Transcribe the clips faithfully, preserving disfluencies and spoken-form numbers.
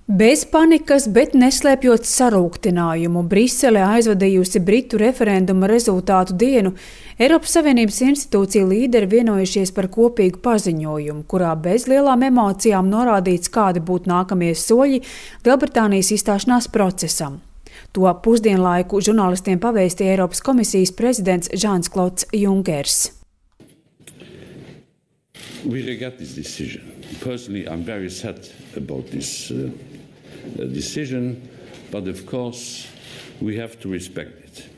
Bez panikas, bet neslēpjot sarūktinājumu, Brisele aizvadījusi Britu referenduma rezultātu dienu, Eiropas Savienības institūciju līderi vienojušies par kopīgu paziņojumu, kurā bez lielām emocijām norādīts, kādi būtu nākamie soļi Lielbritānijas izstāšanās procesam. To pusdienlaiku žurnālistiem pavēstīja Eiropas komisijas prezidents Žans-Klods Junkers. We regret this decision. Personally, I'm very sad about this uh, decision, but of course we have to respect it.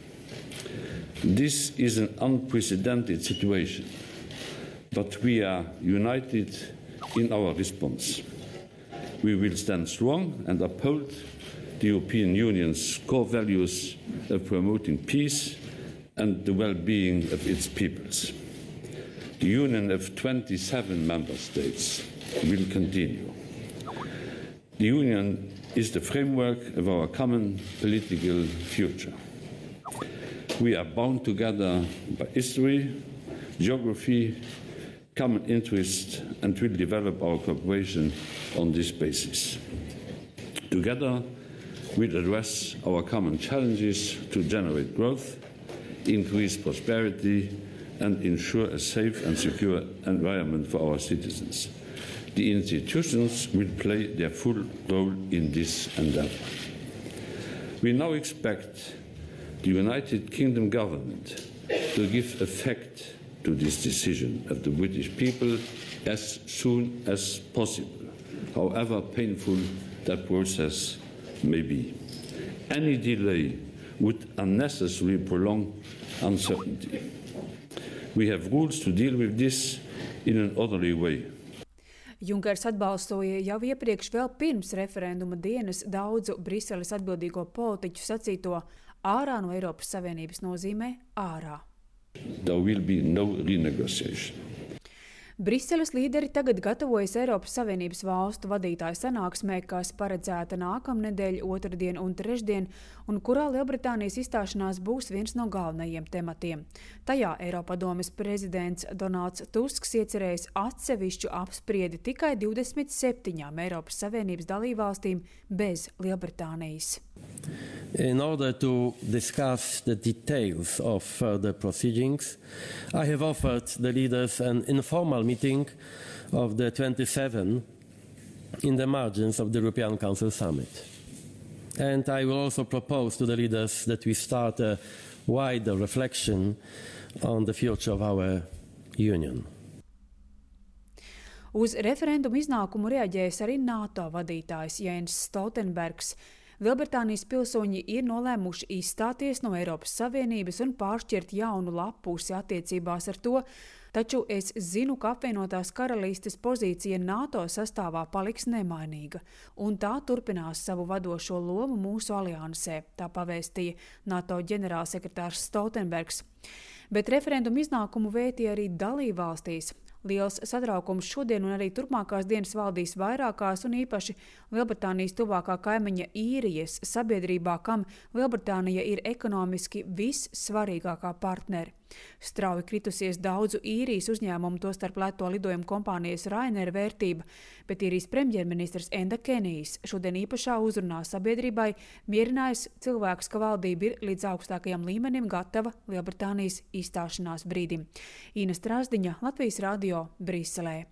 This is an unprecedented situation, but we are united in our response. We will stand strong and uphold the European Union's core values of promoting peace and the well-being of its peoples. The Union of twenty-seven member states will continue. The Union is the framework of our common political future. We are bound together by history, geography, common interest, and will develop our cooperation on this basis. Together, we'll address our common challenges to generate growth, increase prosperity, and ensure a safe and secure environment for our citizens. The institutions will play their full role in this endeavour. We now expect the United Kingdom government to give effect to this decision of the British people as soon as possible, however painful that process may be. Any delay would unnecessarily prolong uncertainty. We have rules to deal with this in an orderly way. Junkers atbalstoja jau iepriekš vēl pirms referenduma dienas daudzu Briseles atbildīgo politiķu sacīto ārā no Eiropas Savienības nozīmē ārā. There will be no renegotiation. Briseles līderi tagad gatavojas Eiropas Savienības valstu vadītāju sanāksmē, kas paredzēta nākamnedēļ, otrdien un trešdien, un kurā Lielbritānijas izstāšanās būs viens no galvenajiem tematiem. Tajā Eiropadomes prezidents Donalds Tusks iecerējis atsevišķu apspriedi tikai divdesmit septiņām Eiropas Savienības dalībvalstīm bez Lielbritānijas. In order to discuss the details of further proceedings, I have offered the leaders an informal meeting of the twenty-seven in the margins of the European Council Summit. And I will also propose to the leaders that we start a wider reflection on the future of our Union. Uz referendumu iznākumu reaģējis arī NATO vadītājs Jens Stoltenbergs. Lielbritānijas pilsoņi ir nolēmuši izstāties no Eiropas Savienības un pāršķirt jaunu lapusi attiecībās ar to, taču es zinu, ka apvienotās karalistes pozīcija NATO sastāvā paliks nemainīga, un tā turpinās savu vadošo lomu mūsu aliansē, tā pavēstīja NATO ģenerālsekretārs Stoltenbergs. Bet referendumu iznākumu vētīja arī dalībvalstīs. Liels satraukums šodien un arī turpmākās dienas valdīs vairākās un īpaši Lielbritānijas tuvākā kaimiņa Īrijas sabiedrībā, kam Lielbritānija ir ekonomiski vissvarīgākā partneri. Strauji kritusies daudzu Īrijas uzņēmumu, tostarp lēto lidojumu kompānijas Ryanair vērtība, bet Īrijas premjerministrs Enda Kenijs šodien īpašā uzrunā sabiedrībai mierinājis cilvēkus, ka valdība ir līdz augstākajam līmenim gatava Lielbritānijas izstāšanās brīdim. Ina Strasdiņa, Latvijas radio, Briselē.